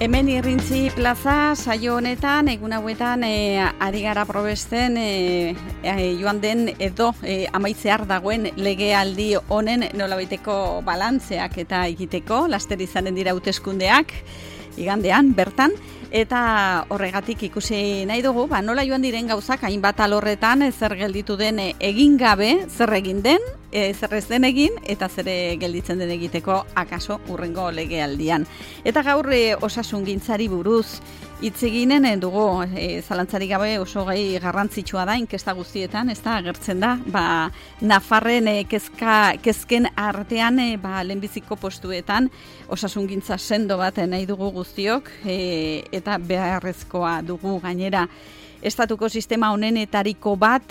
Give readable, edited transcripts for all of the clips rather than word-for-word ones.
Hemen Irrintzi plaza saio honetan, egun hauetan ari gara probesten joan den edo amaitzear dagoen legealdi honen nolabaiteko balantzeak eta egiteko, laster izanen dira hauteskundeak igandean bertan, eta horregatik ikusi nahi dugu, nola joan diren gauzak hainbat alorretan zer gelditu den egin gabe, zer egin den, zer ez den egin, eta zer gelditzen den egiteko akaso urrengo legealdian. Eta gaur osasungintzari buruz hitz eginen dugu, zalantzarik gabe oso gai garrantzitsua da, inkesta guztietan, ez da, agertzen da, Nafarren kezken artean, lehenbiziko postuetan, osasungintza sendo bat nahi dugu guztiok, eta beharrezkoa dugu gainera. Estatuko sistema honenetariko bat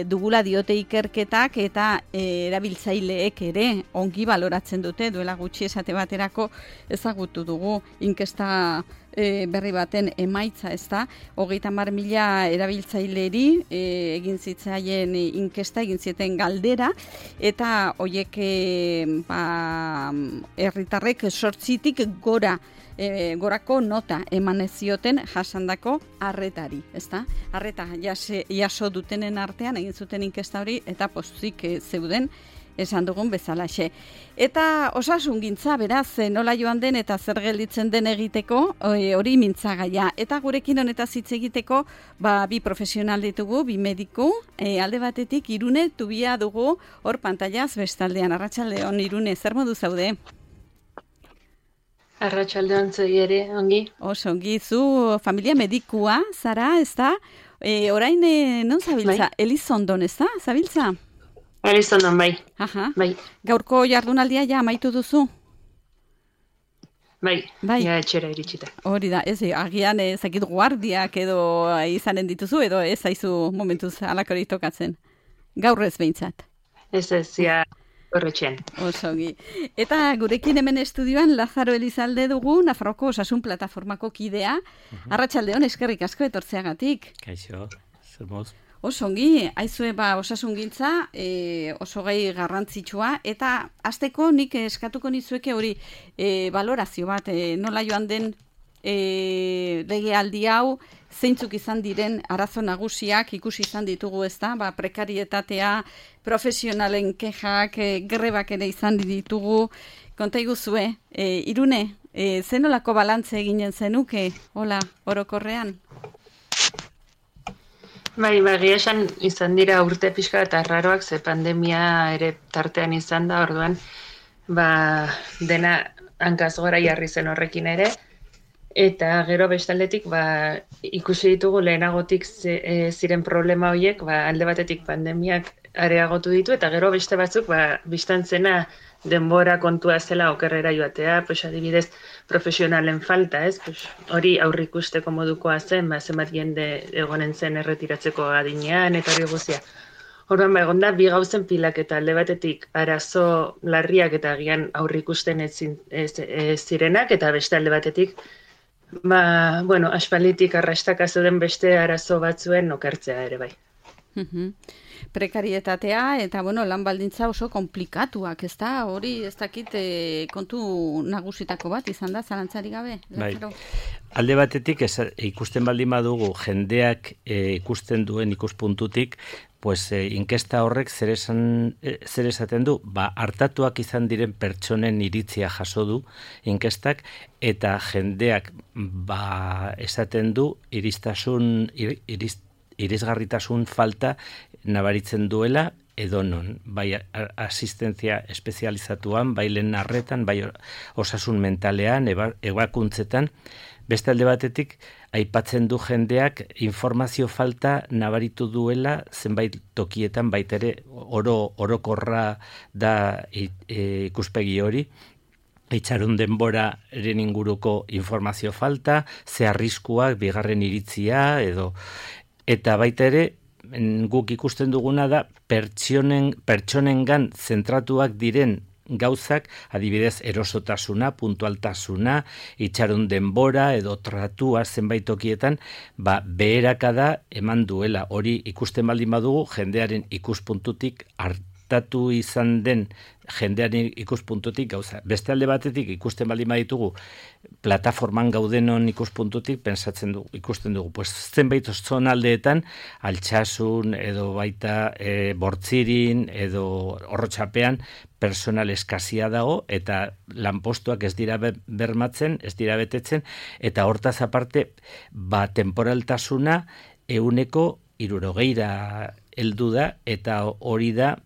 dugula diote ikerketak eta erabiltzaileek ere ongi baloratzen dute, duela gutxi esate baterako ezagutu dugu inkesta berri baten emaitza, ez da, 30.000 erabiltzaileri egin zitzaien inkesta, egin zieten galdera, eta hoiek herritarrek 8tik gorako nota eman zioten jasandako arretari, ezta? Arreta jaso dutenen artean egin zuten inkesta hori eta pozik zeuden esan dugun bezalaxe. Eta osasungintza beraz nola joan den eta zer gelditzen den egiteko hori mintzagaia. Eta gurekin honetaz hitz egiteko bi profesional ditugu, bi mediku, alde batetik Irune Tubia dugu hor pantailaz bestaldean. Arratsaldeon Irune, zer modu zaude? Arratsaldeon zuei ere, ongi. Oso ongi, zu familia medikua, zara, ez da? Orain non zabiltza? Bai. Elizondon, ez da? Zabiltza? Elizondon, bai. Aha. Bai. Gaurko jardunaldia ja amaitu duzu? Bai, ja etxera iritsita. Hori da, ez, agian ezakit guardiak edo izanen dituzu, edo ez zaizu momentuz alakorik tokatzen. Gaur ez behintzat. Ez, ja horretxean. Osogi. Eta gurekin hemen estudioan Lazaro Elizalde dugu, Nafarroko Osasun Plataformako kidea. Arratsaldeon, eskerrik asko etortzeagatik. Kaixo, zer moz? Osongi, aizue osasungintza oso gai garrantzitsua, eta hasteko nik eskatuko nizueke hori balorazio bat, nola joan den legealdi hau, zeintzuk izan diren arazo nagusiak ikusi izan ditugu, ez da, prekarietatea, profesionalen kexak, grebak ere izan ditugu, konta iguzue, Irune, zenolako balantze eginen zenuke, hola, orokorrean? Bai, esan izan dira urte pixka eta arraroak, ze pandemia ere tartean izan da, orduan, dena hankaz gora jarri zen horrekin ere, eta gero bestaldetik ikusi ditugu lehenagotik ziren problema horiek, alde batetik pandemiak areagotu ditu, eta gero beste batzuk bistan zena denbora kontua zela okerrera joatea, adibidez profesionalen falta, ez? Hori aurreikusteko modukoa zen, zenbat jende egonen zen erretiratzeko adinean, eta hori guztia. Orduan, egonda, bi gauzen pilak eta alde batetik arazo larriak eta agian aurreikusten ez zirenak, eta beste alde batetik, aspalditik arrastaka zeuden beste arazo batzuen okertzea ere bai. Prekarietatea eta lan baldintza oso komplikatuak, ez da? Hori ez dakit kontu nagusitako bat izan da, zalantzari gabe? Bai. Alde batetik ikusten baldin badugu jendeak ikusten duen ikuspuntutik, inkesta horrek zer esaten du, hartatuak izan diren pertsonen iritzia jaso du inkestak, eta jendeak esaten du irisgarritasun falta nabaritzen duela edonon, bai asistentzia espezializatuan, bai lehen arretan, bai osasun mentalean, ebakuntzetan. Beste alde batetik, aipatzen du jendeak informazio falta nabaritu duela zenbait tokietan, baitere orokorra da ikuspegi hori, itxarun denboraren inguruko informazio falta, ze arriskuak, bigarren iritzia, eta baita ere, guk ikusten duguna da pertsonengan zentratuak diren gauzak, adibidez erosotasuna, puntualtasuna, itxaron denbora edo tratua zenbait tokietan, beherakada eman duela. Hori ikusten baldin badugu jendearen ikuspuntutik artatu izan den jendearen ikuspuntutik gauza. Beste alde batetik ikusten baldin baditugu plataforman gaudenon ikuspuntutik ikusten dugu, pues zenbait zonaldeetan Altsasun edo baita Bortzirin edo Orrotxapean personal eskasia dago eta lanpostuak ez dira bermatzen, ez dira betetzen eta hortaz aparte temporaltasuna 60% heldu da eta hori da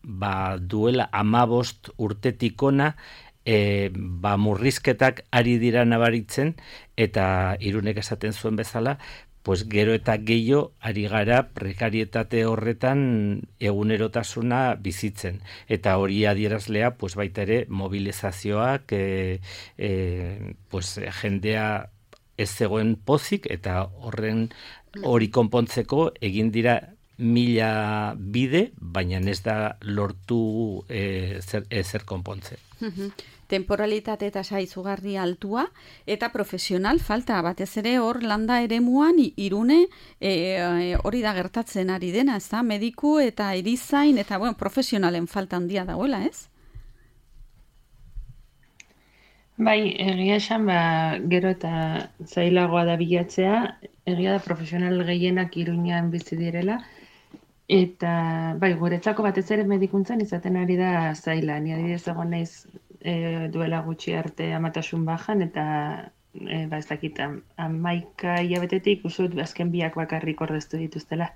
duela 15 urtetik ona murrizketak ari dira nabaritzen eta Irunek esaten zuen bezala, pues gero eta gehiago ari gara prekarietate horretan egunerotasuna bizitzen. Eta hori adierazlea, pues baita ere mobilizazioak, pues jendea ez zegoen pozik eta hori konpontzeko egin dira 1000 bide, baina ez da lortu ezer konpontzen. Temporalitate tasa izugarri altua eta profesional falta, batez ere hor landa eremuan Irune hori da gertatzen ari dena, ez da? Mediku eta erizain eta profesionalen falta handia dagoela, ez? Bai, egia esan, gero eta zailagoa da bilatzea, egia da profesional gehienak Iruñean bizi direla, eta bai, guretzako batez ere medikuntzan izaten ari da zaila. Ni adibidez egon naiz duela gutxi arte amatasun bajan, eta ez dakit, 11 hilabetetik usut azken 2 bakarrik ordeztu dituztela.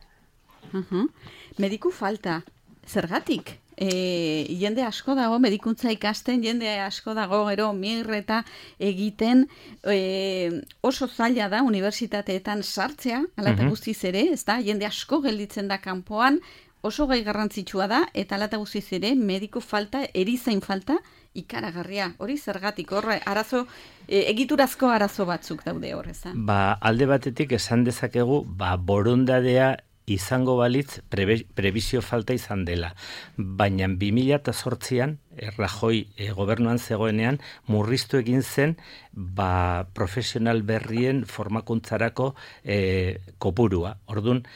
Mediku falta, zergatik? Jende asko dago medikuntza ikasten, jende asko dago gero migreta egiten, oso zaila da unibertsitateetan sartzea, ala eta guztiz ere, ez da, jende asko gelditzen da kanpoan, oso gai garrantzitsua da, eta ala eta guztiz ere, mediku falta, erizain falta, ikaragarria. Hori zergatik, arazo, egiturazko arazo batzuk daude hor, ez da? Alde batetik esan dezakegu, borondadea izango balitz prebizio falta izan dela. Baina 2008an, Rajoy gobernuan zegoenean, murriztu egin zen profesional berrien formakuntzarako kopurua. Orduan,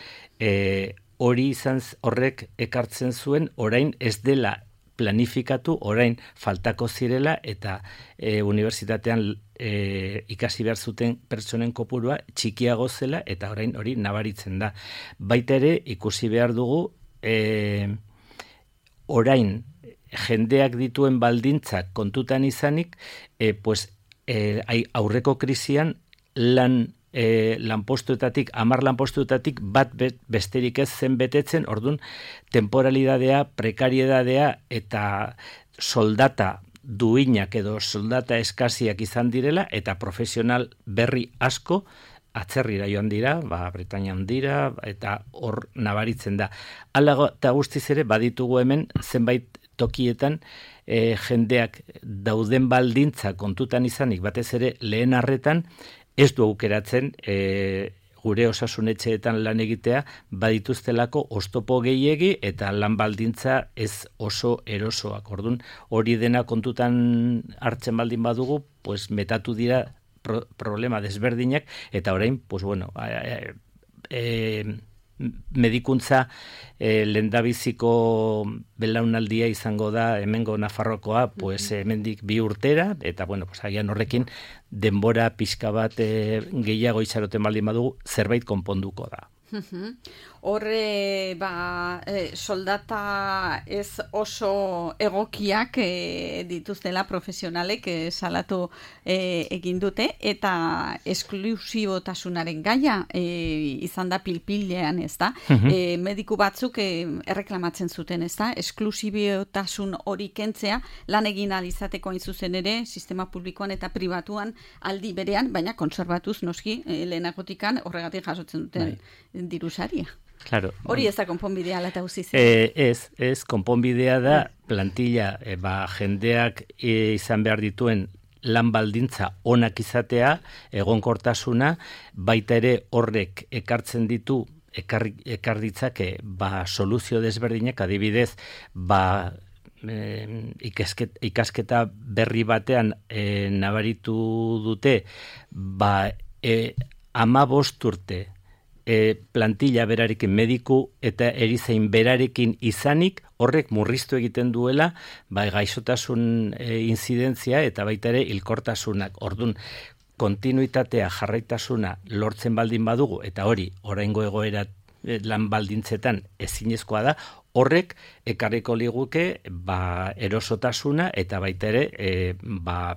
hori izan horrek ekartzen zuen, orain ez dela planifikatu, orain faltako zirela eta unibertsitatean ikasi behar zuten pertsonen kopurua txikiago zela eta orain hori nabaritzen da. Baita ere ikusi behar dugu orain jendeak dituen baldintzak kontutan izanik, aurreko krisian lanpostuetatik, 10 lanpostuetatik bat besterik ez zen betetzen, orduan temporalidadea, prekariedadea eta soldata duinak edo soldata eskasiak izan direla eta profesional berri asko atzerrira joan dira, Bretainian dira eta hor nabaritzen da. Hala eta guztiz ere baditugu hemen zenbait tokietan jendeak dauden baldintza kontutan izanik batez ere lehen arretan ez du aukeratzen gure osasunetxeetan lan egitea badituztelako oztopo gehiegi eta lan baldintza ez oso erosoak. Orduan, hori dena kontutan hartzen baldin badugu, pues metatu dira problema desberdinak eta orain, pues bueno, medikuntza lehendabiziko belaunaldia izango da hemengo Nafarrokoa, pues hemendik 2 urtera eta bueno, pues agian horrekin denbora pixka bat gehiago itxaroten baldin badugu zerbait konponduko da. Horre, soldata ez oso egokiak dituztela profesionalek salatu egin dute, eta esklusibotasunaren gaia izan da pilpilean, ez da? Mediku batzuk erreklamatzen zuten, ez da? Esklusibotasun hori kentzea lan egin ahal izateko hain zuzen ere, sistema publikoan eta pribatuan aldi berean, baina konserbatuz noski lehenagotikan horregatik jasotzen duten dirusaria. Claro. Hori ez da konponbidea ala eta guziz. Ez, konponbidea da plantilla, jendeak izan behar dituen lan baldintza onak izatea, egonkortasuna, baita ere horrek ekartzen ditu, ekar ditzake, soluzio desberdinak, adibidez, ikasketa berri batean nabaritu dute, 15 urte plantilla berarekin, mediku eta erizain berarekin izanik, horrek murriztu egiten duela gaixotasun inzidentzia eta baita ere hilkortasunak. Ordun kontinuitatea, jarraitasuna lortzen baldin badugu, eta hori oraingo egoera lan baldintzetan ezinezkoa da, horrek ekarriko liguke erosotasuna eta baita ere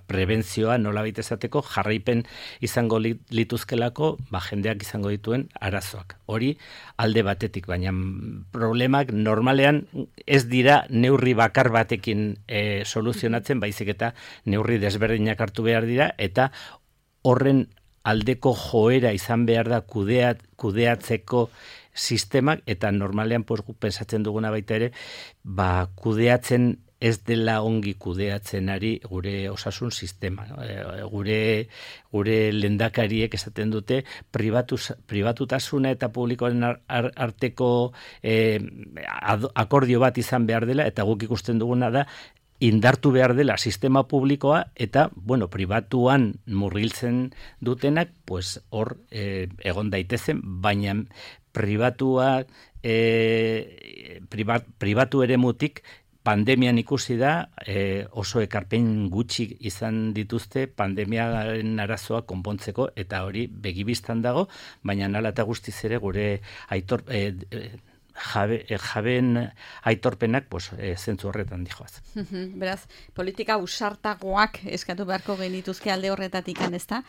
prebentzioa nolabait esateko jarraipen izango lituzkelako jendeak izango dituen arazoak. Hori alde batetik, baina problemak normalean ez dira neurri bakar batekin soluzionatzen, baizik eta neurri desberdinak hartu behar dira, eta horren aldeko joera izan behar da kudeatzeko sistemak, eta normalean pensatzen duguna baita ere, kudeatzen ez dela ongi kudeatzen ari gure osasun sistema. Gure lehendakariek esaten dute pribatutasuna eta publikoaren arteko akordio bat izan behar dela, eta guk ikusten duguna da indartu behar dela sistema publikoa, eta, pribatuan murgiltzen dutenak, hor egon daitezen, baina pribatu eremutik pandemian ikusi da oso ekarpen gutxi izan dituzte pandemiaren arazoa konpontzeko, eta hori begibistan dago, baina hala eta guztiz ere gure jabeen aitorpenak zentzu horretan dijoaz. Beraz, politika usartagoak eskatu beharko genituzke alde horretatik, ezta?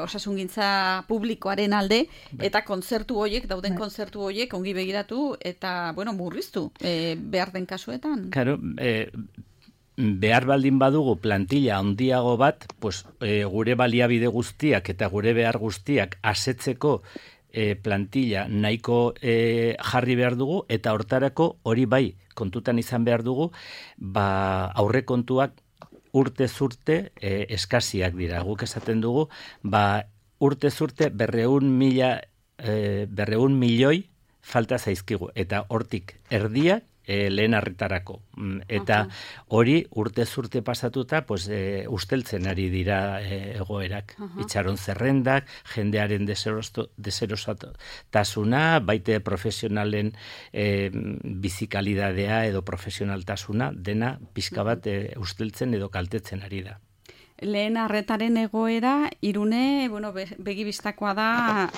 Osasungintza publikoaren alde, eta kontzertu horiek, dauden kontzertu horiek ongi begiratu eta, murriztu behar den kasuetan. Claro, behar baldin badugu plantilla handiago bat, gure baliabide guztiak eta gure behar guztiak asetzeko plantilla nahiko jarri behar dugu, eta hortarako hori bai kontutan izan behar dugu, aurrekontuak urtez urte eskasiak dira. Guk esaten dugu, urtez urte 200 milioi falta zaizkigu, eta hortik erdia lehen arretarako. Eta hori urtez urte pasatuta usteltzen ari dira egoerak. Itxaron zerrendak, jendearen deserosotasuna, baite profesionalen bizikalidadea edo profesionaltasuna, dena pixka bat usteltzen edo kaltetzen ari da. Lehen arretaren egoera, Irune, begibistakoa da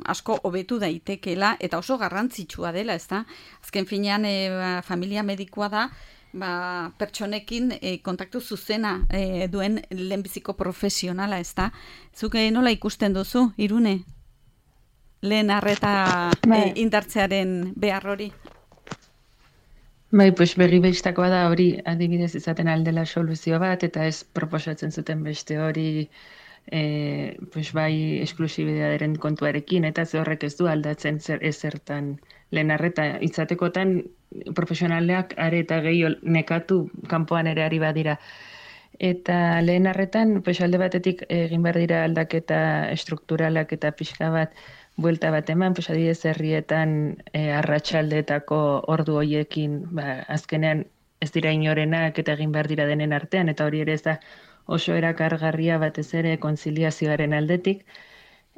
asko hobetu daitekela, eta oso garrantzitsua dela, ezta? Azken finean, familia medikoa da, pertsonekin kontaktu zuzena duen lehenbiziko profesionala, ezta? Zuk nola ikusten duzu, Irune? Lehen arreta indartzearen behar hori? Begibistakoa da hori adibidez izaten aldela soluzio bat, eta ez proposatzen zuten beste hori esklusibidadearen kontuarekin, eta ze horrek ez du aldatzen ezertan lehen arreta izatekotan profesionaleak are eta gehiago nekatu kanpoan ere ari badira. Eta lehen arretan alde batetik egin behar dira aldaketa estrukturalak eta pixka bat buelta bat eman, adibidez herrietan arratsaldeetako ordu hoiekin, azkenean ez dira inorenak eta egin behar dira denen artean, eta hori ere ez da oso erakargarria batez ere kontziliazioaren aldetik.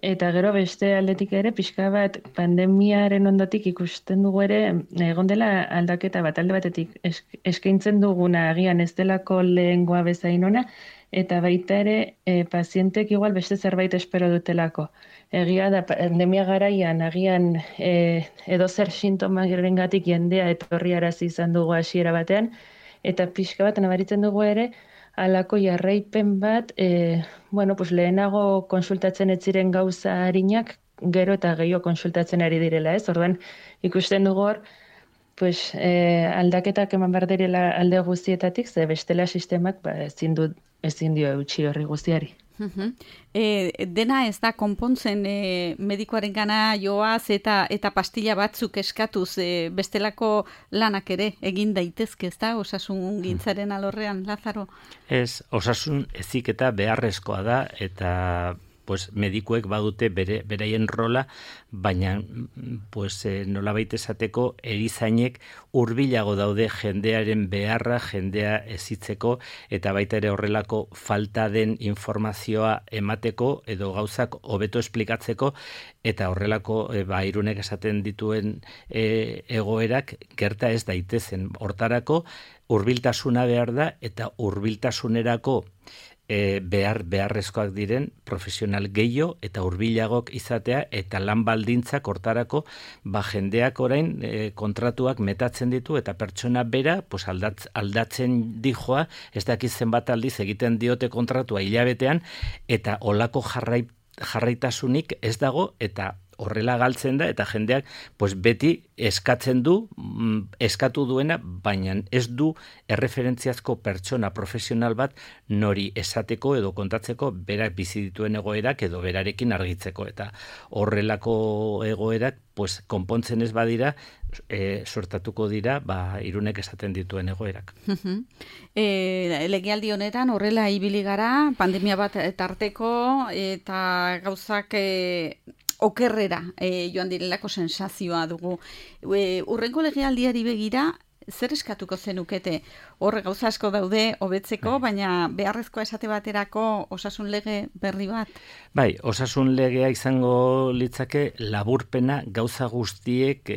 Eta gero beste aldetik ere, pixka bat pandemiaren ondotik ikusten dugu ere, egon dela aldaketa bat, alde batetik eskaintzen duguna agian ez delako lehengoa bezain ona, eta baita ere pazientek igual beste zerbait espero dutelako. Egia da, pandemia garaian, agian edozer sintomarengatik jendea etorri arazi izan dugu hasiera batean, eta pixka bat nabaritzen dugu ere, halako jarraipen bat, lehenago konsultatzen ez ziren gauza harinak, gero eta gehiago konsultatzen ari direla, ez? Orduan, ikusten dugu hor, aldaketak eman behar direla alde guztietatik, ze bestela sistemak ezin dio eutxi horri guztiari. Dena ez da konpontzen medikoaren gana joaz eta pastilla batzuk eskatuz bestelako lanak ere egin daitezke, ez da, osasun gintzaren alorrean, Lazaro? Ez, osasun heziketa beharrezkoa da, eta pues medikuek badute beraien rola, baina pues nolabait esateko erizainek hurbilago daude jendearen beharra, jendea ezitzeko eta baita ere horrelako falta den informazioa emateko edo gauzak hobeto esplikatzeko eta horrelako Irunek esaten dituen egoerak gerta ez daitezen. Hortarako hurbiltasuna behar da eta hurbiltasunerako beharrezkoak diren profesional gehiago eta hurbilagok izatea eta lan baldintzak hortarako jendeak orain kontratuak metatzen ditu eta pertsona bera pues aldatzen dijoa, ez dakit zenbat aldiz egiten diote kontratua hilabetean eta olako jarraitasunik ez dago eta horrela galtzen da eta jendeak pues beti eskatu duena, baina ez du erreferentziazko pertsona profesional bat nori esateko edo kontatzeko berak bizi dituen egoerak edo berarekin argitzeko eta horrelako egoerak pues konpontzen ez badira sortatuko dira Irunek esaten dituen egoerak. Legealdi honetan horrela ibili gara, pandemia bat tarteko eta gauzak okerrera joan direlako sensazioa dugu. Urrengo legealdiari begira, zer eskatuko zenukete? Hor gauza asko daude hobetzeko, baina beharrezkoa esate baterako osasun lege berri bat? Bai, osasun legea izango litzake laburpena gauza guztiek,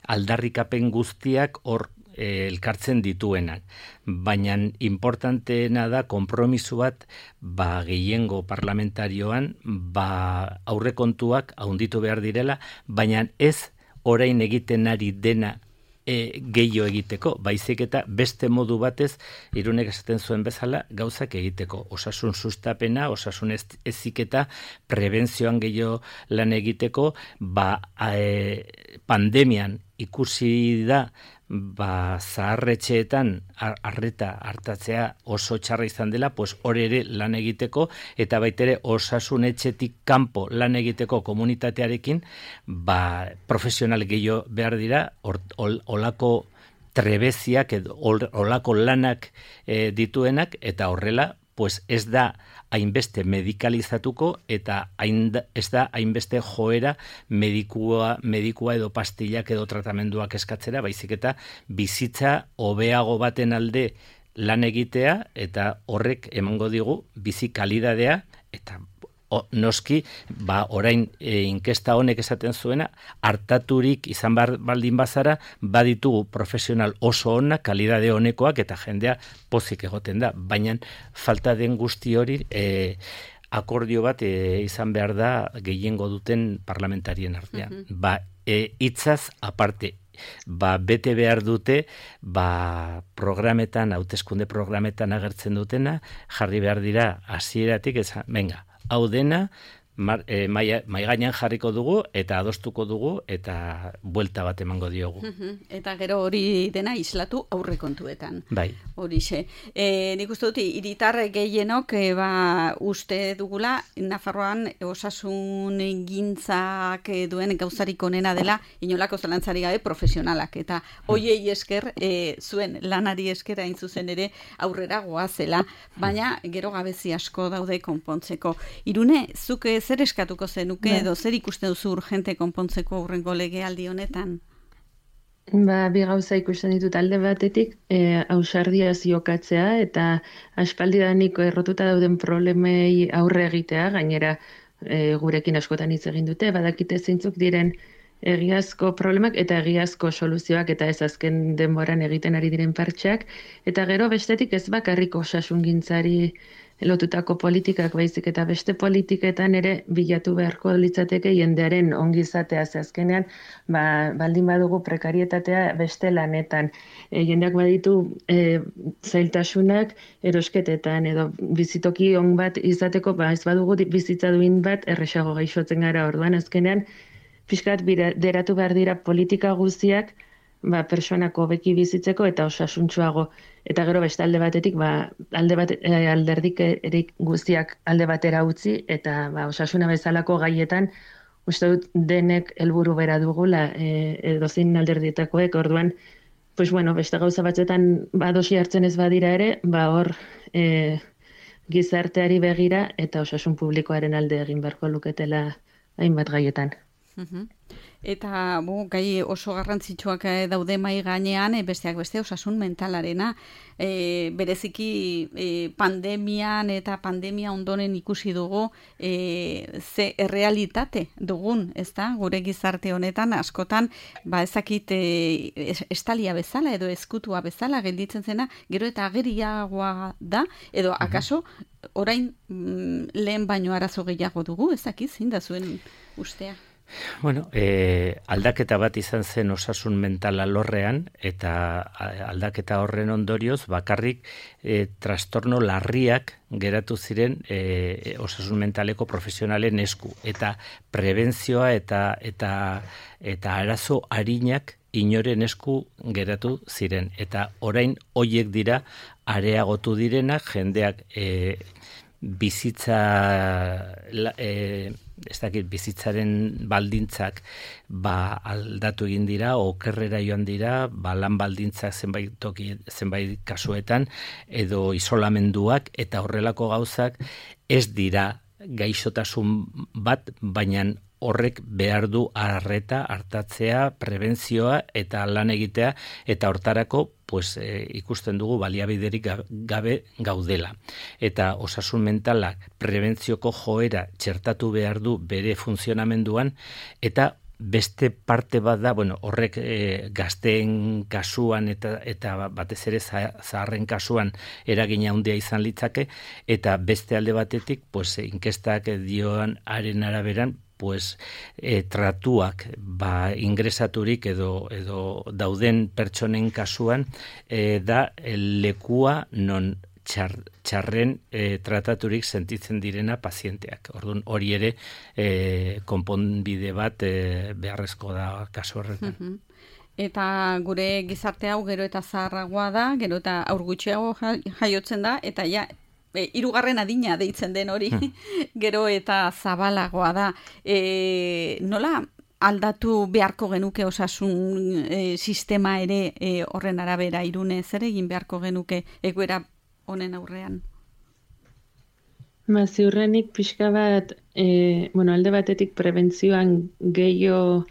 aldarrikapen guztiak hor elkartzen dituenak. Baina importanteena da konpromiso bat gehiengo parlamentarioan aurrekontuak handitu behar direla, baina ez orain egiten ari dena gehiago egiteko, baizik eta beste modu batez Irunek esaten zuen bezala gauzak egiteko. Osasun sustapena, osasun heziketa, prebentzioan gehiago lan egiteko, pandemian ikusi da zaharretxeetan arreta hartatzea oso txarra izan dela, pues hori ere lan egiteko eta baitere osasun etxetik kanpo lan egiteko komunitatearekin profesional gehiago behar dira, olako trebeziak edo olako lanak dituenak eta horrela pues ez da hainbeste medikalizatuko eta ez da hainbeste joera medikua edo pastillak edo tratamenduak eskatzera, baizik eta bizitza hobeago baten alde lan egitea eta horrek emango digu bizi kalidadea eta noski, orain inkesta honek esaten zuena, hartaturik izan baldin bazara, baditugu profesional oso onak, kalidade honekoak eta jendea pozik egoten da. Baina falta den guzti hori akordio bat izan behar da gehiengo duten parlamentarien artean. Hitzaz aparte, bete behar dute programetan, hauteskunde programetan agertzen dutena, jarri behar dira hasieratik, venga, hau dena mai gainean jarriko dugu eta adostuko dugu eta buelta bat emango diogu. Eta gero hori dena islatu aurrekontuetan. Bai. Horixe. Nik uste dut hiritar gehienok uste dugula Nafarroan osasun gintzak duen gauzarik onena dela inolako zalantzari gabe profesionalak eta hoiei esker zuen lanari esker hain zuzen ere aurrera goazela, baina gero gabezi asko daude konpontzeko. Irune, zuk zer eskatuko zenuke edo zer ikusten duzu urgente konpontzeko aurrengo legealdi honetan? Bi gauza ikusten ditut alde batetik, ausardia ziokatzea eta aspaldidaniko errotuta dauden problemei aurre egitea, gainera gurekin askotan hitz egin dute, badakite zeintzuk diren egiazko problemak eta egiazko soluzioak eta ez azken denboran egiten ari diren partxeak, eta gero bestetik ez bakarrik osasungintzari lotutako politikak baizik eta beste politiketan ere bilatu beharko litzateke jendearen ongizatea azkenean, baldin badugu prekarietatea beste lanetan. Jendeak baditu zailtasunak erosketetan edo bizitoki on bat izateko, ez badugu bizitza duin bat erresago gaixotzen gara, orduan azkenean pixkat deratu behar dira politika guztiak pertsonak hobeki bizitzeko eta osasuntsuago. Eta gero beste alde batetik, alderdik guztiak alde batera utzi, eta osasuna bezalako gaietan, uste dut denek helburu bera dugula, edozein alderdietakoek, orduan, beste gauza batzetan adosi hartzen ez badira ere, hor gizarteari begira eta osasun publikoaren alde egin beharko luketela hainbat gaietan. Eta gai oso garrantzitsuak daude mai gainean, besteak beste osasun mentalarena. Bereziki pandemian eta pandemia ondoren ikusi dugu ze errealitate dugun, ezta? Gure gizarte honetan askotan ezakit estalia bezala edo eskutua bezala gelditzen zena, gero eta ageriagoa da, edo akaso orain lehen baino arazo gehiago dugu, ezakit, zein da zuen ustea? Bueno, aldaketa bat izan zen osasun mental alorrean, eta aldaketa horren ondorioz bakarrik trastorno larriak geratu ziren osasun mentaleko profesionalen esku, eta prebentzioa eta arazo arinak inoren esku geratu ziren, eta orain hoiek dira areagotu direnak, jendeak bizitza bizitzaren baldintzak aldatu egin dira, okerrera joan dira, lan baldintzak zenbait kasuetan, edo isolamenduak, eta horrelako gauzak ez dira gaixotasun bat, baina horrek behar du artatzea, prebentzioa eta lan egitea, eta hortarako ikusten dugu baliabiderik gabe gaudela. Eta osasun mentalak prebentzioko joera txertatu behar du bere funtzionamenduan, eta beste parte bat da, horrek gazteen kasuan eta batez ere zaharren kasuan eragina handia izan litzake, eta beste alde batetik, inkestak dioan haren araberan, tratuak ingresaturik edo dauden pertsonen kasuan da lekua non txarren trataturik sentitzen direna pazienteak. Orduan hori ere konponbide bat beharrezko da kasu horretan. Eta gure gizarte hau gero eta zaharragoa da, gero eta haur gutxiago jaiotzen da, eta hirugarren adina deitzen den hori, gero eta zabalagoa da. Nola aldatu beharko genuke osasun sistema ere horren arabera, Irune, zer egin beharko genuke egoera honen aurrean? Ziurrenik pixka bat, alde batetik prebentzioan gehiago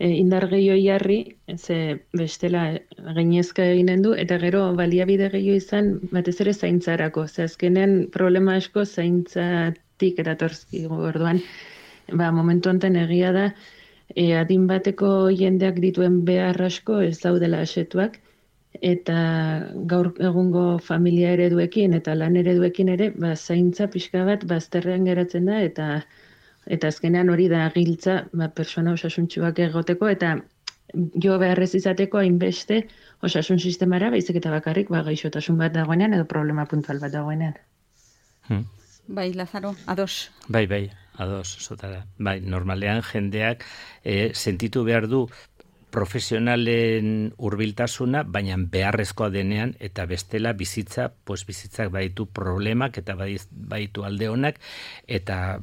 indar gehiago jarri, ze bestela gainezka eginen du, eta gero baliabide gehiago izan, batez ere zaintzarako. Ze azkenean problema asko zaintzatik eratortzkigu orduan. Momentu honetan egia da, adin bateko jendeak dituen behar asko ez daudela asetuak, eta gaur egungo familia ereduekin eta lan ereduekin ere, zaintza pixka bat bazterrean geratzen da, eta azkenean hori da giltza persona osasuntsuak egoteko, eta jo beharrez izateko hainbeste osasun sistemara, baizik eta bakarrik gaixotasun bat dagoenean edo problema puntual bat dagoenean. Bai, Lazaro, ados. Bai, ados, zotara. Bai, normalean jendeak sentitu behar du profesionalen hurbiltasuna, baina beharrezkoa denean, eta bestela bizitzak baditu problemak eta baditu alde honak, eta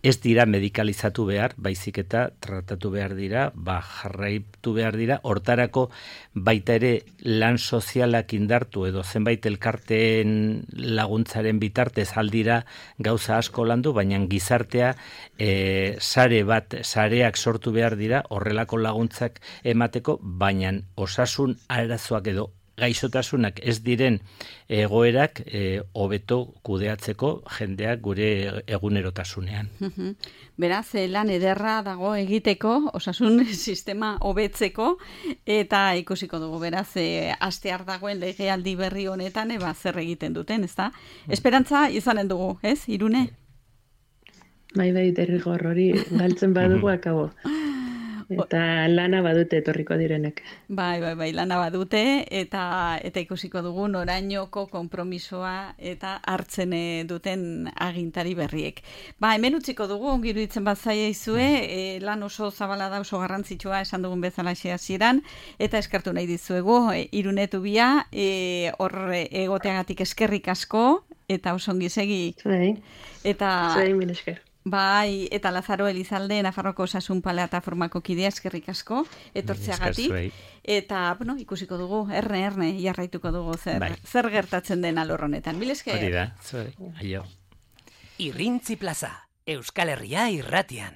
ez dira medikalizatu behar, baizik eta tratatu behar dira, jarraitu behar dira, hortarako baita ere lan sozialak indartu edo zenbait elkarteen laguntzaren bitartez aldira gauza asko landu, baina gizartea sareak sortu behar dira horrelako laguntzak emateko, baina osasun arazoak edo gaixotasunak ez diren egoerak hobeto kudeatzeko jendeak gure egunerotasunean. Beraz, lan ederra dago egiteko, osasun sistema hobetzeko, eta ikusiko dugu, beraz, hastear dagoen legealdi berri honetan, zer egiten duten, ezta? Esperantza izanen dugu, ez, Irune? Bai, derrigor hori galtzen badugu akabo. Eta lana badute etorriko direnek. Bai, lana badute, eta ikusiko dugu norainoko konpromisoa eta hartzen duten agintari berriek. Hemen utziko dugu, ongi iruditzen bat zaizue, lan oso zabala da, oso garrantzitsua esan dugun bezala hasieran, eta eskertu nahi dizuegu, Irune Tubia, hor egoteagatik eskerrik asko, eta oso ongi segi. Zai, mil esker. Bai, eta Lazaro Elizalde, Nafarroko Osasun Plataformako kidea, eskerrik asko, etortzeagatik. Eta, bueno, ikusiko dugu, erne, jarraituko dugu zer gertatzen den alor honetan. Mil esker. Hori da, aio. Irrintzi plaza, Euskal Herria irratian.